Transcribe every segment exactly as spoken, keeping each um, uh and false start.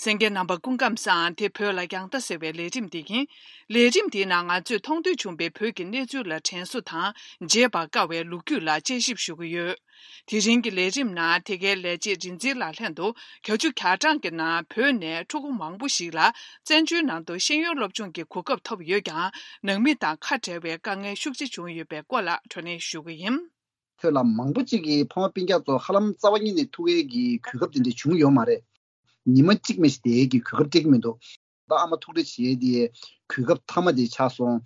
གསན་མཁན་རྣམ་པ་སྐུ་ཁམས་བཟང་། དེ་བོད་ལ་རྒྱང་ལྟ་ཟེར་བའི་ལས་རིམ་དེ་ཡིན། ལས་རིམ་དེའི་ནང་ང་ཚོས་མཐོང་ཐོས་བྱུང་པའི་བོད་ཀྱི་གནས་ཚུལ་ལ་དྲན་གསོ་དང་བརྗེད་པར་དཀའ་བའི་ལོ་རྒྱུས་ལ་དཔྱད་ཞིབ་ཞུ་གི་ཡོད། དེ་རིང་གི་ལས་རིམ་ནང་དེ་གའི་ལས་བྱེད་རིག་འཛིན་ལགས་ལྷན་དུ་བརྒྱད་ཅུ་གྱ་གྲངས་ཀྱི་ནང་བོད་ནས་ཕྲུ་གུ་མང་པོ་ཞིག་ལ་བཙན་བྱོལ་ནང་དུ་ཤེས་ཡོན་སློབ་སྦྱོང་གི་གོ་སྐབས་ཐོབ་ཡོད་ཀྱང་ནང་མི་དང་ཁ་བྲལ་བའི་དཀའ་ངལ་ཤུགས་ཆེ་བྱུང་ཡོད་པའི་སྐོར་ལ་བགྲོ་གླེང་ཞུ་གི་ཡིན། བོད་ལ་མང་པོ་ཅིག་གིས་ཕ་མ་སྤུན་ཀྱག་ཚོ་ཧ་ལམ་རྩ་བ་ཉིད་ནས་ཐུག་ཡས་ཀྱི་གོ་སྐབས་དེ་འདྲ་བྱུང་ཡོད་མ་རེད། ཉི་མ་གཅིག་མ་ཞིག་བསྡད་ཡས་ཀྱི་གོ་སྐབས་སྤྲད་ཀྱི་མི་འདུག་ད་ཨ་མ་ཐུག་འཕྲད་བྱེད་ཡས་དེ་གོ་སྐབས་མཐའ་མ་དེ་ཆགས་སོང་།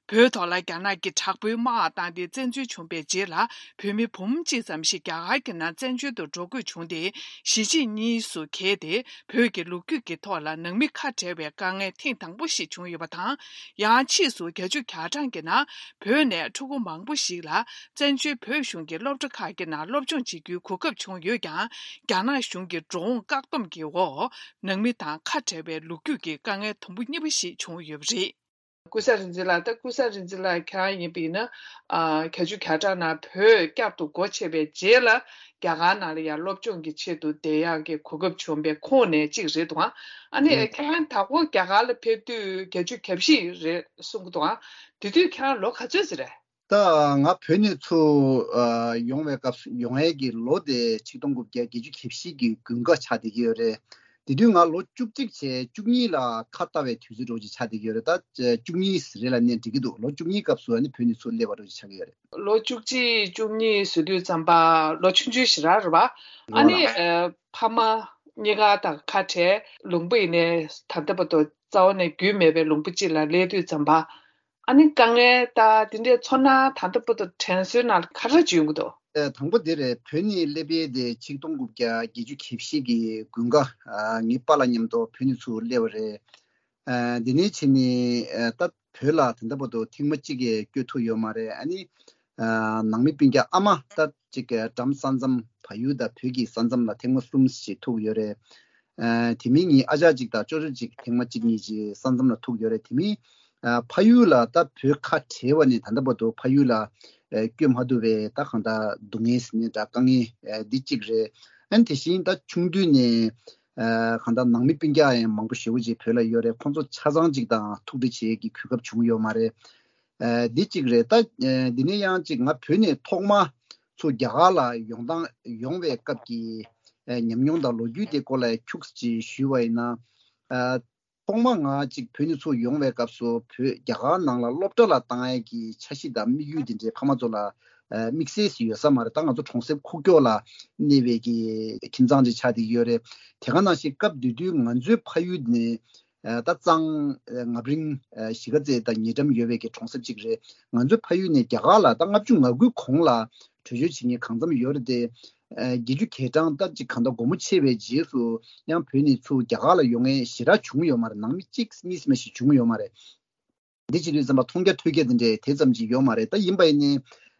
བོད་ཐོག་ལ་རྒྱ་ནག་གིས་དྲག་པོའི་དམག་བཏང་སྟེ་བཙན་འཛུལ་བྱུང་བའི་རྗེས་ལ་བོད་མི་འབུམ་གཅིག་ཙམ་ཞིག་རྒྱ་གར་གྱི་ནང་བཙན་བྱོལ་དུ་འགྲོ་དགོས་བྱུང་སྟེ་གཞིས་བྱེས་གཉིས་སུ་གྱེས་ཏེ་བོད་ཀྱི་ལོ་རྒྱུས་ཀྱི་ཐོག་ལ་ནང་མི་ཁ་བྲལ་བའི་དཀའ་ངལ་ཐེངས་དང་པོ་ཞིག་བྱུང་ཡོད་པ་དང་། ཡང་ཕྱིས་སུ་བརྒྱད་ཅུ་གྱ་གྲངས་ཀྱི་ནང་བོད་ནས་ཕྲུ་གུ་མང་པོ་ཞིག་ལ་བཙན་བྱོལ་བོད་གཞུང་གི་སློབ་གྲྭ་ཁག་གི་ནང་སློབ་སྦྱོང་བྱེད་རྒྱུའི་གོ་སྐབས་བྱུང་ཡོད་ཀྱང་། རྒྱ་ནག་གཞུང་གི་འགྲོ་འོང་བཀག་སྡོམ་གྱི་འོག་ནང་མི་དང་ཁ་བྲལ་བའི་ལོ་རྒྱུས་ཀྱི་དཀའ་ངལ་དུམ་བུ་གཉིས་པ་ཞིག་བྱུང་ཡོད་པ་རེད། ཀུན་བཟང་རིག་འཛིན་ལགས། ད་ཀུན་བཟང་རིག་འཛིན་ལགས་ཁྱེད་རང་ཡིན་པ་ཡིན་ན། ཨ། བརྒྱད་ཅུ་གྱ་གྲངས་ནང་བོད་བསྐྱར་དུ་སྒོ་ཕྱེ་བའི་རྗེས་ལ་རྒྱ་གར་ནང་ལ་ཡང་སློབ་སྦྱོང་གི་ཆེད་དུ་བསྡད་ཡག་གི་གོ་སྐབས་བྱུང་བའི་ཁོངས་ནས་གཅིག་རེད་འདུག་ཨ་ནི་ཨེ། ཁྱེད་རང་ད་གོང་རྒྱ་གར་ལ་ཕེབས་དུས་བརྒྱད་ཅུ་གྱ་བཞི་རེད་གསུང་གི་འདུག་ཨ། དེ་དུས་ཁྱེད་རང་ལོ་ག་ཚོད་ཙམ་རེད། ད་ང་བོད་ནས་ཚུར་ཨ་ཡོང་བའི་སྐབས་སུ་ཡོང་ཡས་ཀྱི་ལོ་དེ་ཆིག་སྟོང་དགུ་བརྒྱ་བརྒྱད་ཅུ་གྱ་བཞི་གི་དགུན་ཁ་ཆགས་བསྡད་ཀྱི་ཡོད་རེད། དེ་དུས་ང་ལོ་བཅུ་གཅིག་བྱས་བཅུ་གཉིས་ལ་ཁ་ལྟ་བའི་དུས་ཚོད་འདྲ་བོ་ཅིག་ཆགས་བསྡད་ཀྱི་ཡོད་རེད། ད་བཅུ་གཉིས་རེད་ལབ་ནས་འགྲིག་གི་འདུག་ལོ་བཅུ་གཉིས་སྐབས་སུ་ཨ་ནི་བོད་ནས་ཚུར་སླེབས་པ་འདྲ་བོ་ཅིག་ཆགས་ཀྱི་ཡོད་རེད། ལོ་བཅུ་གཅིག་བཅུ་གཉིས་ཟེར་དུས་ཙམ་པ་ལོ་ཆུང་ཆུང་ཞིག་རང་རེད་པ། ཨ་ནི་ཨ། ཕ་མ་གཉིས་ཀ་དང་ཁ་བྲལ་ལུང་པ་ཡིན་ནའི་ད་ལྟ་བར་དུ་རྩ་བ་ནས་རྒྱུས་མེད་པའི་ལུང་པ་གཅིག་ལ་སླེབས་དུས་ཙམ་པ། ཨ་ནི་དཀའ་ངལ་ད་དེ་འདྲའི་ཚོར་སྣང་ད་ལྟ་བར་དུ་དྲན་གསོའི་ནང་ལ་ག་རེ་བྱུང་གི་འདུག་ཨེ། དང་པོ་དེ་རེད། བོད་ནས་སླེབས་ཡས་དེ་ཆིག་སྟོང་དགུ་བརྒྱ་བརྒྱད་ཅུ་གྱ་བཞི་གི་དགུན་ཁ་ཨ། ངའི་པཱ་ལགས་མཉམ་དུ་བོད་ནས་ཚུར་སླེབས་པ་རེད། ཨ། དེ་ནས་བྱས་ནས་ཨ། ད་བོད་ལ་ད་ལྟ་བར་དུ་ཐེངས་མ་གཅིག་གིས་བསྐྱོད་ཐུབ་ཡོད་མ་རེད། ཨ་ནི་ཨ། ནང་མི་སྤུན་ཀྱག་ཨ་མ་ད་ཅིག་གྲམ་ས་མཚམས་བལ་ཡུལ་དང་བོད་ཀྱི་ས་མཚམས་ལ་ཐེངས་མ་གསུམ་ཞིག་ཐུག་ཡོད་རེད། ཨ། དེ་མིན་ངའི་ཨ་ཅག་ཅིག་དང་ཅོ་ཅོ་ཅིག་ཐེངས་མ་གཅིག་གཉིས་ཅིག་ས་མཚམས་ལ་ཐུག་ཡོད་རེད། དེ་མིན་ཨ། ཕ་ཡུལ་ལ་ད་བོད་ཁ་བྲལ་བ་ནས་ད་ལྟ་བར་དུ་ཕ་ཡུལ་ལ་ཨ། བསྐྱོད་མ་ཐུབ་པའི་ད་གང་ལྟར་སྡུག་བསྔལ་ཟེར་ནའི་འདྲ་དཀའ་ངལ་ཨ། འདི་གཅིག་རེད། ཨ་ནི་དེ་བཞིན་ད་ཆུང་དུས་ནས་ཨ། གང་ལྟར་ནང་མི་སྤུན་ཀྱག་ཡང་མང་པོ་ཞེ་པོ་ཅིག་བོད་ལ་ཡོད་རེད། ཁོང་ཚོ་ཆ་ཚང་ཅིག་དང་ཐུག་འཕྲད་བྱེད་ཀྱི་གོ་སྐབས་བྱུང་ཡོད་མ་རེད། ཨ། འདི་གཅིག་རེད། ད་ཨ། འདི་ནས་ཡང་ཅིག་ང་བོད་ནས་ཐོག་མ་ཚུར་རྒྱ་གར་ལ་ཡོང་སྟངས་ཡོང་བའི་སྐབས་ཀྱི་ཨ། ཉམས་མྱོང་དང་ལོ་རྒྱུས་དེ་སྐོར་ལ་ཁྱུག་ཙམ་ཅིག་ཞུས་པ་ཡིན་ན། ཨ། ཐོག་མ་ང་ཅིག་བོད་ནས་ཚུར་ཡོང་བའི་སྐབས་སུ་བོད་རྒྱ་གར་ནང་ལ་སློབ་གྲྭ་ལ་བཏང་ཡས་ཀྱི་འཆར་གཞི་དང་དམིགས་ཡུལ་དེ་འདྲའི་ཕ་མ་ཚོ་ལ་ཨ། དམིགས་བསལ་ཞིག་ཡོད་ས་མ་རེད། ད་ང་ཚོ་གྲོང་གསེབ་ཁུག་ཀྱོག་ལ་གནས་པའི་གི་ཁྱིམ་ཚང་ཅིག་ཆགས་བསྡད་ཀྱི་ཡོད་རེད། དེ་ག་ནང་བཞིན་སྐབས་དེ་དུས་ང་ཚོའི་ཕ་ཡུལ་ནས་ཨ། ད་གཙང་ཨ། རྔ་རིང་ཨ། གཞིས་ཀ་རྩེ་དང་ཉེ་འགྲམ་ཡོད་པའི་གི་གྲོང་གསེབ་ཅིག་རེད། ང་ཚོའི་ཕ་ཡུལ་ནས་རྒྱ་གར་ལ་ད་ལྔ་བཅུ་ང་དགུའི་གོང་ལ་བྲོས་བྱོལ་བྱེད་མཁན་གང་འཚམ་ཡོད་རེད་དེ། ཨ། བརྒྱད་ཅུ་གྱ་གྲངས་ད་ཅིག་གང་ལྟར་སྒོར་མོ་ཆེ་བའི་རྗེས་སུ་ཡང་བོད་ནས་ཚུར་རྒྱ་གར་ལ་ཡོང་མཁན་ཞེ་དྲག་བྱུང་ཡོད་མ་རེད། ནང་མི་གཅིག་གཉིས་ཙམ་ཞིག་བྱུང་ཡོད་མ་རེད། འདི་བྱེད་དུས་ཙམ་པ་མཐོང་རྒྱ་ཐོས་རྒྱ་འདི་འདྲའི་དེ་ཙམ་ཅིག་ཡོད་མ་རེད། ད་ཡིན་པ་ཡིན་ནའི་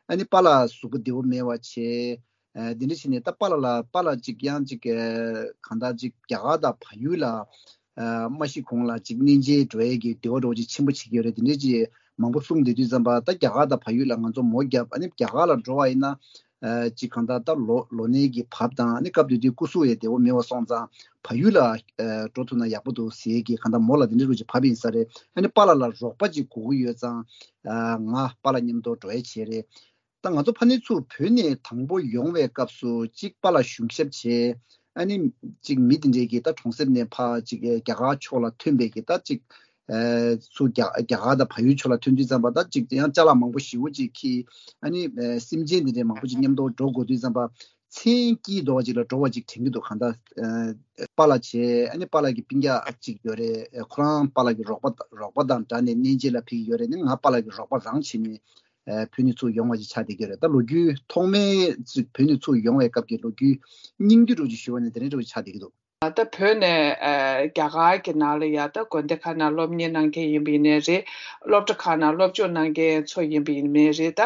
ཨ་ནི་པཱ་ལགས་གཟུགས་པོ་བདེ་བོ་མེད་པ་བྱས། ཨ། འདི་འདྲ་བྱས་ནས་ད་པཱ་ལགས་ལ་པཱ་ལགས་ཅིག་ཡང་ཅིག་ཨ། གང་ལྟར་ཅིག་རྒྱ་གར་དང་བལ་ཡུལ་ལ་ཨ། མ་ཤི་གོང་ལ་ཅིག་གནས་མཇལ་འགྲོ་ཡས་ཀྱི་འདོད་པ་འདྲ་བོ་ཅིག་ཆེན་པོ་བྱེད་ཀྱི་ཡོད་རེད། འདི་འདྲ་ཅིག་མང་པོ་གསུངས་བསྡད་དུས་ཙམ་པ་ད་རྒྱ་གར་དང་བལ་ཡུལ་ལ་ང་ཚོ་མོ་བརྒྱབ། ཨ་ནི་རྒྱ་གར་ལ་འགྲོ་བ་ཡིན་ན། ཨ། ཅིག་གང་ལྟར་ད་ལོ་ལོ་ནའི་གི་བབས་དང་ཨ་ནི་སྐབས་དེ་དུས་སྐུ་གཟུགས་ཡང་བདེ་བོ་མེད་པ་སོང་ཙང་བལ་ཡུལ་ལ་ཨ། འགྲོ་ཐུབ་ན་ཡག་པོ་འདུག་ཟེར་གི་གང་ལྟར་མོ་ལ་དེ་འདྲ་རུ་ཅིག་བབས་ཡིན་ས་རེད། ཨ་ནི་པཱ་ལགས་ལ་རོགས་པ་ཅིག་དགོས་ཀྱི་ཡོད་ཙང་ཨ། ང་པཱ་ལགས་མཉམ་དུ་འགྲོ་ཡ་བྱས་རེད། ད་ང་ཚོ་ཕ་ནས་ཚུར་བོད་ནས་དང་པོ་ཡོང་བའི་སྐབས་སུ་ཅིག་པཱ་ལགས་གཞུང་ཞབས་བྱས། ཨ་ནི་ཅིག་མི་དེ་འདྲས་ཀྱིས་ད་གྲོང་གསེབ་ནས་ཕར་ཅིག་རྒྱ་གར་ཕྱོགས་ལ་ཐོན་པའི་གི་ད་ཅིག་ཨ། ཚུར་རྒྱ་རྒྱ་གར་དང་བལ་ཡུལ་ཕྱོགས་ལ་ཐོན་དུས་ཙམ་པ་ད་ཅིག་ཡང་ཅ་ལག་མང་པོ་ཞེ་པོ་ཅིག་འཁྱེར། ཨ་ནི་ཨ། སེམས་ཅན་དེ་འདྲའི་མང་པོ་ཅིག་མཉམ་དུ་འགྲོ་དགོས་དུས་ཙམ་པ་མཚན་སྐྱིད་དོ་བ་ཅིག་ལ་འགྲོ་བ་ཅིག་དྲན་གྱི་འདུག་གང་ལྟར་ཨ། པཱ་ལགས་བྱས། ཨ་ནི་པཱ་ལགས་ཀྱི་སྤུན་ཀྱག་ཅིག་ཡོད་རེད། ཁོ་རང་པཱ་ལགས་ཀྱི་རོགས་པ་རོགས་པ་དང་འདྲ་ནས་གནས་མཇལ་ལ་ཕེབས་ཀྱི་ཡོད་རེད། ནི་ང་པཱ་ལགས་ཀྱི་རོགས་པ་རང་བྱས་ནས་ཨ། བོད་ནས་ཚུར་ཡོང་བ་ཅིག་ཆགས་བསྡད་ཀྱི་ཡོད་རེད། ད་ལོ་རྒྱུས་ཐོག་མའི་ཅིག་བོད་ནས་ཚུར་ཡོང་བའི་སྐབས་ཀྱི་ལོ་རྒྱུས་སྙིང་བསྡུས་འདྲ་བོ་ཅིག་ཞུ་བ་ནི་དེ་འདྲ་འདྲ་བོ་ཅིག་ཆགས་བསྡད་ཀྱི་འདུག་ད་བོད་ནས་ཨ། རྒྱ་གར་གྱི་ནང་ལ་ཡ་ད་དགོན་སྡེ་ཁག་ནང་སློབ་གཉེར་གནང་མཁན་ཡིན་པ་ཡིན་ནའི་རེད། སློབ་གྲྭ་ཁག་ནང་སློབ་སྦྱོང་གནང་མཁན་ཚོ་ཡིན་པ་ཡིན་ནའི་རེད། ད་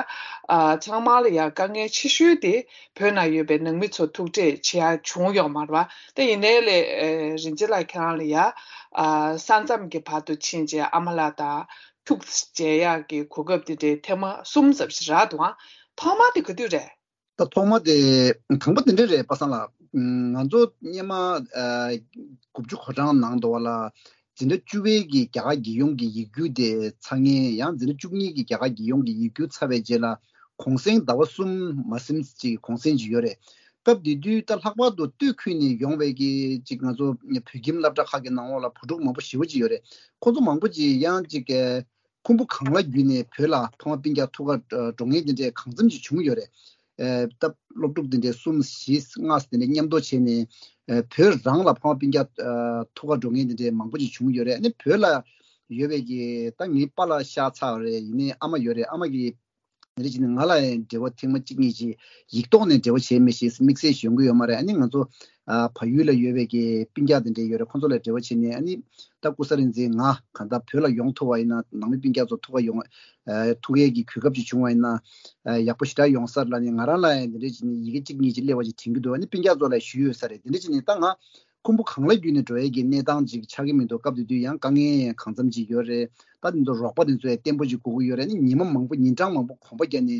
ཨ། ཚང་མ་ལ་ཡ་དཀའ་ངལ་ཆེ་ཤོས་དེ་བོད་ནང་ཡོད་པའི་ནང་མི་ཚོ་ཐུག་འཕྲད་བྱེད་ཡ་བྱུང་ཡོད་མ་རེད་པ། ད་ཡིན་ནའི་ལས་ཨ། རིན་ཆེན་ལགས་ཁྱེད་རང་ལ་ཡ་ཨ། ས་མཚམས་ཀྱི་བར་དུ་ཕྱིན་བྱས་ཨ་མ་ལགས་དང་ཐུག་མཇལ་ཡག་གི་གོ་སྐབས་དེ་འདྲའི་ཐེངས་མ་གསུམ་ཙམ་ཞིག་རག་འདུག་ཨང་། ཐོག་མ་དེ་ག་དུས་རེད། ད་ཐོག་མ་དེ་དང་པོ་དེ་འདྲ་རེད། པ་སངས་ལགས། ང་ཚོ་སྔོན་མ་དགུ་བཅུ་གོ་གྲངས་ནང་དུ་བ་ལ་འཛིན་གྲྭ་བཅུ་པའི་གི་རྒྱ་གར་རྒྱལ་ཡོངས་ཀྱི་ཡིག་སྒྱུར་དེ་ཚར་མཁན་ཡང་འཛིན་གྲྭ་བཅུ་གཉིས་ཀྱི་རྒྱ་གར་རྒྱལ་ཡོངས་ཀྱི་ཡིག་སྒྱུར་ཚར་བའི་རྗེས་ལ་གུང་སེང་ཟླ་བ་གསུམ་མ་ཟིན་ཅིག་གུང་སེང་ཅིག་ཡོད་རེད། སྐབས་དེ་དུས་ད་ལྷག་པར་དུ་སྟོད་ཁུལ་ནས་ཡོང་བའི་གི་ཅིག་ང་ཚོ་བོད་ཁྱིམ་སློབ་གྲྭ་ཁག་གི་ནང་ལོགས་ལ་བུ་ཕྲུག་མང་པོ་ཞེ་པོ་ཅིག་ཡོད་རེད། ཁོ་ཚོ་མང་པོ་ཅིག་ཡང་ཅིག་ཁུམ་བུ་གངས་ལ་བརྒྱུད་ནས་བོད་ལ་ཕ་མ་སྤུན་ཀྱག་ཐུག་ག་འགྲོ་མཁན་དེ་འདྲས་གང་འཚམ་ཅིག་བྱུང་ཡོད་རེད། ཨེ། ད་སློབ་ཕྲུག་དེ་འདྲས་གསུམ་བཞི་ལྔ་དེ་འདྲས་མཉམ་དུ་བྱས་ནས་ཨེ། བོད་རང་ལ་ཕ་མ་སྤུན་ཀྱག་ཨེ། ཐུག་ག་འགྲོ་མཁན་དེ་འདྲས་མང་པོ་ཅིག་བྱུང་ཡོད་རེད། ཨ་ནི་བོད་ལ་ཡོད་པའི་གི་ད་ངའི་པཱ་ལགས་ཤག་ཚ་བ་རེད། ཡིན་ནའི་ཨ་མ་ཡོད་རེད། ཨ་མ་གི་དེ་འདྲ་བྱས་ནས་ང་ལ་ཡང་འབྲེལ་བ་ཐེངས་མ་གཅིག་གཉིས་ཅིག་ཡིག་ཐོག་ནས་འབྲེལ་བ་བྱས་མེད་ཞེས་དམིགས་བསལ་ཞིག་ཡོང་གི་ཡོད་མ་རེད། ཨ་ནི་ང་ཚོ་ཨ། བལ་ཡུལ་ལ་ཡོད་པའི་གི་སྤུན་ཀྱག་དེ་འདྲ་ཡོད་རེད། ཁོང་ཚོ་ལ་འབྲེལ་བ་བྱས་ནས་ཨ་ནི་ད་ཀུ་ས་རིན་ཆེན་ང་གང་ལྟར་བོད་ལ་ཡོང་ཐུབ་པ་ཡིན་ན་ནང་མི་སྤུན་ཀྱག་ཚོ་ཐུག་ག་ཡོང་ཨ། ཐུག་ཡས་ཀྱི་གོ་སྐབས་ཅིག་བྱུང་བ་ཡིན་ན་ཨ། ཡག་པོ་ཞེ་དྲག་ཡོང་ས་རེད་ལབ་ནས་ང་རང་ལ་ཡང་དེ་འདྲ་བྱས་ནས་ཡི་གེ་གཅིག་གཉིས་ཅིག་སླེབས་པ་ཅིག་དྲན་གྱི་འདུག་ཨ་ནི་སྤུན་ཀྱག་ཚོ་ལ་ཞུས་ཡོད་ས་རེད། དེ་འདྲ་བྱས་ནས་ད་ང་ཁུམ་བུ་གངས་ལ་བརྒྱུད་ནས་འགྲོ་ཡས་ཀྱི་གནས་སྟངས་ཅིག་ཆགས་ཀྱི་མི་འདུག་སྐབས་དེ་དུས་ཡང་དཀའ་ངལ་ཡང་གང་འཚམ་ཅིག་ཡོད་རེད། ད་དེ་ཚོ་རོགས་པ་དེ་ཚོ་ཡང་བརྟན་པོ་ཅིག་དགོས་ཀྱི་ཡོད་རེད། ཨ་ནི་ཉི་མ་མང་པོ་ཉིན་གྲངས་མང་པོ་གོམ་པ་བརྒྱབ་ནས་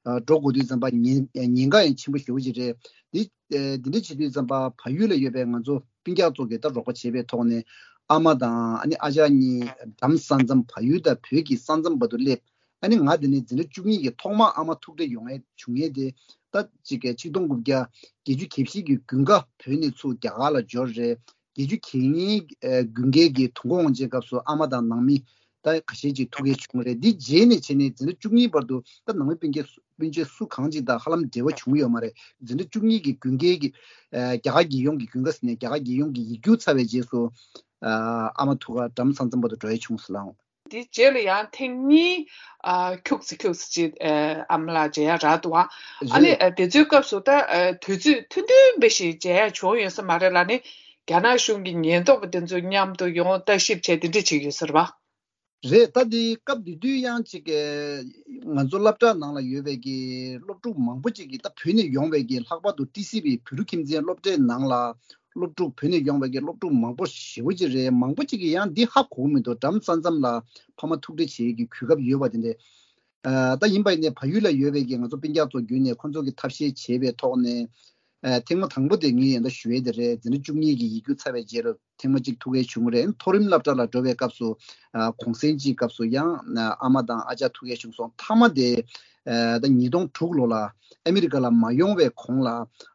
ཨ། འགྲོ་དགོས་དུས་ཙམ་པ་ཉེན་ཉེན་ཁ་ཡང་ཆེན་པོ་ཞེ་པོ་ཅིག་རེད། འདི་ཨ། འདི་འདྲ་བྱེད་དུས་ཙམ་པ་བལ་ཡུལ་ལ་ཡོད་པའི་ང་ཚོ་སྤུན་ཀྱག་ཚོ་གིས་ད་རོགས་པ་བྱས་པའི་ཐོག་ནས་ཨ་མ་དང་ཨ་ནི་ཨ་ཅག་གཉིས་འགྲམ་ས་མཚམས་བལ་ཡུལ་དང་བོད་ཀྱི་ས་མཚམས་བར་དུ་སླེབས། ཨ་ནི་ང་དེ་ནས་འཛིན་གྲྭ་བཅུ་གཉིས་ཀྱི་ཐོག་མར་ཨ་མ་ཐུག་འཕྲད་ཡོང་ཡས་བྱུང་ཡས་དེ་ད་ཅིག་གི་ཆིག་སྟོང་དགུ་བརྒྱ་བརྒྱད་ཅུ་གྱ་བཞི་གི་དགུན་ཁ་བོད་ནས་ཚུར་རྒྱ་གར་ལ་འབྱོར་རེད། བརྒྱད་ཅུ་གྱ་གཉིས་དགུན་ཁའི་གི་དུས་འཁོར་དབང་ཆེན་སྐབས་སུ་ཨ་མ་དང་ནང་མི་ད་ཁ་ཤས་ཅིག་ཐུག་ཡས་བྱུང་རེད། འདི་རྗེས་ནས་བྱས་ནས་འཛིན་གྲྭ་བཅུ་གཉིས་བར་དུ་ད་ནང་མི་སྤུན་མཆེད་སུ་གང་ཅིག་དང་ཧ་ལམ་འབྲེལ་བ་བྱུང་ཡོད་མ་རེད། འཛིན་གྲྭ་བཅུ་གཉིས་ཀྱི་དགུན་ཁའི་གི་རྒྱ་གར་རྒྱལ་ཡོངས་ཀྱི་དགུན་ཁ་ཟེར་ནས་རྒྱ་གར་རྒྱལ་ཡོངས་ཀྱི་ཡིག་སྒྱུར་ཚར་བའི་རྗེས་སུ་ཨ་མ་ཐུག་ག་འགྲམ་ས་མཚམས་བར་དུ་འགྲོ་ཡས་བྱུང་ཟེར་ལགས། དེའི་རྗེས་ལ་ཡང་ཐེངས་གཉིས་ཨ། ཁྱུག་ཙམ་ཁྱུག་ཙམ་ཅིག་ཨ། ཨ་མ་ལགས་མཇལ་ཡ་རག་འདུག་ཨ། ཨ་ནི་རེད། ཨ། དེ་ཚོའི་སྐབས་སུ་ད་ཨ། དུས་ཚོད་ཐུང་ཐུང་འབའ་ཞིག་མཇལ་ཡ་བྱུང་ཡོད་ས་མ་རེད་ལ་ནི་རྒྱ་ནག་གཞུང་གི་ཉེན་རྟོག་པ་དེ་ཚོ་མཉམ་དུ་ཡོང་ལྟ་ཞིབ་བྱས་དེ་འདྲ་བྱེད་ཀྱི་ཡོད་ས་རེད་པ། རེད། ད་དེ་སྐབས་དེ་དུས་ཡང་ཅིག་ང་ཚོ་སློབ་གྲྭ་ནང་ལ་ཡོད་པའི་གི་སློབ་ཕྲུག་མང་པོ་ཅིག་གིས་ད་བོད་ནས་ཡོང་བའི་གི་ལྷག་པར་དུ་ཏི་སི་བྷི་བོད་ཕྲུག་ཁྱིམ་མཚེས་སློབ་གྲྭའི་ནང་ལ་སློབ་ཕྲུག་བོད་ནས་ཡོང་བའི་གི་སློབ་ཕྲུག་མང་པོ་ཞེ་པོ་ཅིག་རེད། མང་པོ་ཅིག་གིས་ཡང་འདི་ཧ་གོ་གི་མི་འདུག་འགྲམ་ས་མཚམས་ལ་ཕ་མ་ཐུག་འཕྲད་བྱེད་ཀྱི་གོ་སྐབས་ཡོད་པ་དེ་འདྲས། ཨ། ད་ཡིན་པ་ཡིན་ནའི་བལ་ཡུལ་ལ་ཡོད་པའི་གི་ང་ཚོ་སྤུན་ཀྱག་ཚོ་བརྒྱུད་ནས་ཁོང་ཚོ་གིས་ཐབས་ཤེས་བྱས་པའི་ཐོག་ནས་ཨ། ཐེངས་མ་དང་པོ་དེ་ངས་ཡང་ད་ཞུ་ཡས་དེ་རེད། འཛིན་གྲྭ་བཅུ་གཉིས་ཀྱི་ཡིག་སྒྱུར་ཚར་བའི་རྗེས་ལ་ཐེངས་མ་གཅིག་ཐུག་ཡས་བྱུང་རེད། མཐོ་རིམ་སློབ་གྲྭ་ལ་འགྲོ་བའི་སྐབས་སུ་ཨ། གུང་སེང་གཅིག་སྐབས་སུ་ཡང་ཨ་མ་དང་ཨ་ཅག་ཐུག་ཡས་བྱུང་སོང་། མཐའ་མ་དེ་ཨ། ད་ཉིས་སྟོང་དྲུག་ལོ་ལ་ཨ་མི་རི་ཀ་ལ་མ་ཡོང་བའི་གོང་ལ་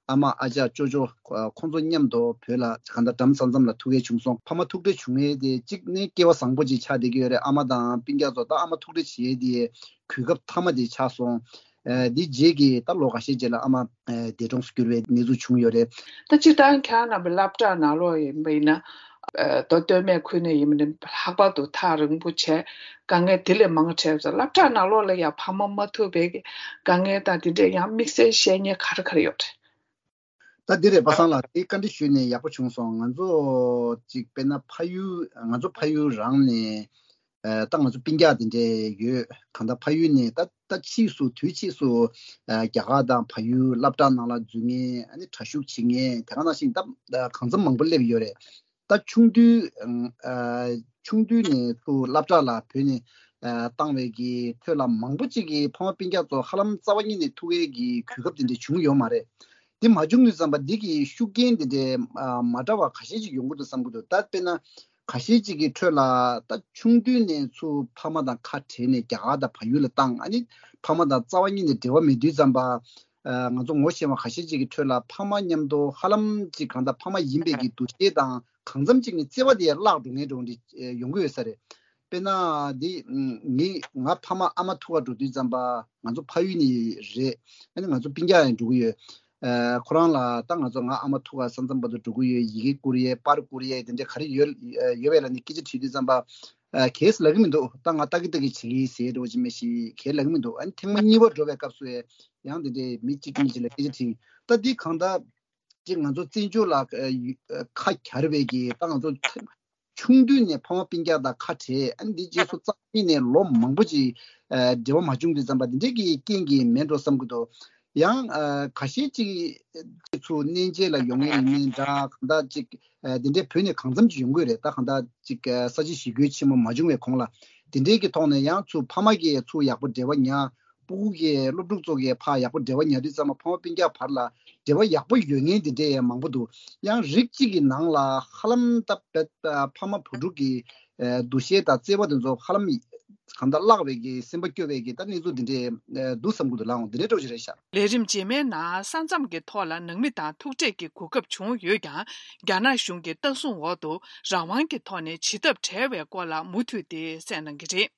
ཨ་མ་ཨ་ཅག་ཅོ་ཅོ་ཨ། ཁོང་ཚོ་མཉམ་དུ་བོད་ལ་གང་ལྟར་འགྲམ་ས་མཚམས་ལ་ཐུག་ཡས་བྱུང་སོང་། ཕ་མ་ཐུག་འཕྲད་བྱུང་ཡས་དེ་གཅིག་ནས་སྐལ་བ་བཟང་པོ་ཅིག་ཆགས་བསྡད་ཀྱི་ཡོད་རེད། ཨ་མ་དང་སྤུན་ཀྱག་ཚོ་ད་ཨ་མ་ཐུག་འཕྲད་བྱེད་ཡས་དེ་གོ་སྐབས་མཐའ་མ་དེ་ཆགས་སོང་། ཨ། དེ་རྗེས་ཀྱི་ད་ལོ་འགའ་ཤས་རྗེས་ལ་ཨ་མ་ཨ། འདས་གྲོངས་སུ་གྱུར་བའི་གནས་ཚུལ་བྱུང་ཡོད་རེད། ད་སྤྱིར་བཏང་ཁྱེད་རང་རྣམ་པའི་སློབ་གྲྭ་ནང་ལོགས་ཡིན་པ་ཡིན་ན། ཨ། མདོ་སྟོད་སྨད་ཁུལ་ནས་ཡིན་པ་ནི་ལྷག་པར་དུ་ཐག་རིང་པོ་བྱས་དཀའ་ངལ་དེ་ལས་མང་འཕྲད་ཙང་སློབ་གྲྭ་ནང་ལོགས་ལ་ཡང་ཕ་མ་མ་ཐུག་པའི་དཀའ་ངལ་དང་དེ་འདྲས་ཡང་དམིགས་བསལ་བཤད་མཁན་ག་རེ་ག་རེ་ཡོད་རེད། ད་འདི་རེད་པ་སངས་ལགས། དེ་བཀའ་འདྲི་ཞུས་ནས་ཡག་པོ་བྱུང་སོང་། ང་ཚོ་ཅིག་དཔེར་ན་ཕ་ཡུལ་ང་ཚོ་ཕ་ཡུལ་རང་ནས་ཨ། ད་ང་ཚོ་སྤུན་ཀྱག་དེ་འདྲས་ཡོད། གང་ལྟར་ཕ་ཡུལ་ནས་ད་ད་ཕྱིས་སུ་དུས་ཕྱིས་སུ་ཨ། རྒྱ་གར་དང་བལ་ཡུལ་སློབ་གྲྭ་ནང་ལ་འཛུལ་མཁན་ཨ་ནི་གྲྭ་ཞུགས་བྱེད་མཁན་དེ་ག་ནང་བཞིན་ད་གང་འཚམ་མང་པོ་སླེབས་ཡོད་རེད། ད་ཆུང་དུས་ཨ། ཆུང་དུས་ནས་ཚུར་སློབ་གྲྭ་ལ་བོད་ནས་ཨ། བཏང་བའི་གི་ཁྲོད་ལ་མང་པོ་ཅིག་གིས་ཕ་མ་སྤུན་ཀྱག་ཚོ་ཧ་ལམ་རྩ་བ་ཉིད་ནས་ཐུག་ཡས་ཀྱི་གོ་སྐབས་དེ་འདྲས་བྱུང་ཡོད་མ་རེད། དེ་མ་བྱུང་དུས་ཙམ་པ་འདི་གི་ཤུགས་རྐྱེན་དེ་འདྲའི་ཨ། མ་འདྲ་བ་ཁ་ཤས་ཅིག་ཡོང་གི་འདུག་བསམ་གྱི་འདུག་ད་དཔེར་ན་ཁ་ཤས་ཅིག་གི་ཁྲོད་ལ་ད་ཆུང་དུས་ནས་ཚུར་ཕ་མ་དང་ཁ་བྲལ་ནས་རྒྱ་གར་དང་བལ་ཡུལ་ལ་བཏང་། ཨ་ནི་ཕ་མ་དང་རྩ་བ་ཉིད་ནས་འབྲེལ་བ་མེད་དུས་ཙམ་པ་ཨ། ང་ཚོ་ངོ་ཤེས་པ་ཁ་ཤས་ཅིག་གི་ཁྲོད་ལ་ཕ་མ་མཉམ་དུ་ཧ་ལམ་ཅིག་གང་ལྟར་ཕ་མ་ཡིན་པའི་གི་འདུ་ཤེས་དང་གང་འཚམ་ཅིག་ནས་བརྩེ་བ་དེ་བརླག་འགྲོ་མཁན་འདྲ་བོ་འདི་ཡོང་གི་ཡོད་ས་རེད། དཔེར་ན་འདི་ངས་ང་ཕ་མ་ཨ་མ་ཐུག་ག་འགྲོ་དུས་ཙམ་པ་ང་ཚོ་ཕ་ཡུལ་ནས་རེད། ཨ་ནི་ང་ཚོ་སྤུན་ཀྱག་ཡང་འགྲོ་གི་ཡོད། ཨ། ཁོ་རང་ལ་ད་ང་ཚོ་ང་ཨ་མ་ཐུག་ག་ས་མཚམས་བར་དུ་འགྲོ་གི་ཡོད། ཡི་གེ་བསྐུར་ཡས་པར་བསྐུར་ཡས་དེ་འདྲ་ག་རེ་ཡོད་ཡོད་པས་ལབ་ནས་སྐད་ཆ་དྲིས་དུས་ཙམ་པ་ཨ། གས་ལབ་ཀྱི་མི་འདུག་ད་ང་ལྟ་གི་ལྟ་གི་བྱེད་ཀྱི་ཟེར་འདྲ་བོ་ཅིག་མེད་ཞིག་གས་ལབ་ཀྱི་མི་འདུག་ཨ་ནི་ཐེངས་མ་གཉིས་པ་འགྲོ་བའི་སྐབས་སུ་ཡང་དེ་འདྲའི་མི་གཅིག་གཉིས་ཅིག་ལ་སྐད་ཆ་དྲིས། ད་འདི་གང་ལྟར་ཅིག་ང་ཚོ་བཙན་བྱོལ་ལ་ཨ། ཡུ་ཨ། ཁ་གྱར་བའི་གི་ད་ང་ཚོ་ཆུང་དུས་ནས་ཕ་མ་སྤུན་ཀྱག་དང་ཁ་བྲལ། ཨ་ནི་འདི་རྗེས་སུ་རྩ་བ་ཉིད་ནས་ལོ་མང་པོ་ཅིག་ཨ། འབྲེལ་བ་མ་བྱུང་དུས་ཙམ་པ་འདི་འདྲའི་གི་རྐྱེན་གྱིས་མིན་འགྲོ་བསམ་གྱི་འདུག་ཡང་ཨ། ཁ་ཤས་ཅིག་ཚུར་གནས་མཇལ་ལ་ཡོང་མཁན་ཡིན་མིན་འདྲ། གང་ལྟར་ཅིག་ཨ། འདི་འདྲའི་བོད་ནས་གང་འཚམ་ཅིག་ཡོང་གི་རེད། ད་གང་ལྟར་ཅིག་ཨ། ས་ཆ་ཞི་རྒོལ་ཆེན་མོ་མ་བྱུང་བའི་གོང་ལ་འདི་འདྲའི་གི་ཐོག་ནས་ཡང་ཚུར་ཕ་མ་གིས་ཚུར་ཡག་པོ་འབྲེལ་བ་ཉར། སྤུ་གུ་གི་སློབ་ཕྲུག་ཚོ་གི་ཕར་ཡག་པོ་འབྲེལ་བ་ཉར་དུས་ཙམ་པ་ཕ་མ་སྤུན་ཀྱག་བར་ལ་འབྲེལ་བ་ཡག་པོ་ཡོད་མཁན་དེ་འདྲས་ཡང་མང་པོ་འདུག། ཡང་རིགས་གཅིག་གི་ནང་ལ་ཧ་ལམ་ད་བེད་ཕ་མ་བུ་ཕྲུག་གི་འདུ་ཤེས་དང་བརྩེ་བ་དེ་ཚོ་ཧ་ལམ་གང་ལྟར་བརླག་པའི་གི་སེམས་པ་སྐྱོ་བའི་གི་ད་གནས་ཚུལ་འདི་འདྲས་འདུག་བསམ་གི་འདུག་ལགས། འོང་འདི་འདྲས་འགྲོ་ཞིག་རེད་ཤག། ལས་རིམ་རྗེས་མའི་ནང་ས་མཚམས་ཀྱི་ཐོག་ལ་ནང་མི་དང་ཐུག་འཕྲད་ཀྱི་གོ་སྐབས་བྱུང་ཡོད་ཀྱང་། རྒྱ་ནག་གཞུང་གི་ལྟ་སྲུང་འོག་ཏུ་རང་དབང་གི་ཐོག་ནས་བྱེད་ཐབས་བྲལ་བའི་སྐོར་ལ་མུ་མཐུད་དེ་གསན་གནང་གི་རེད།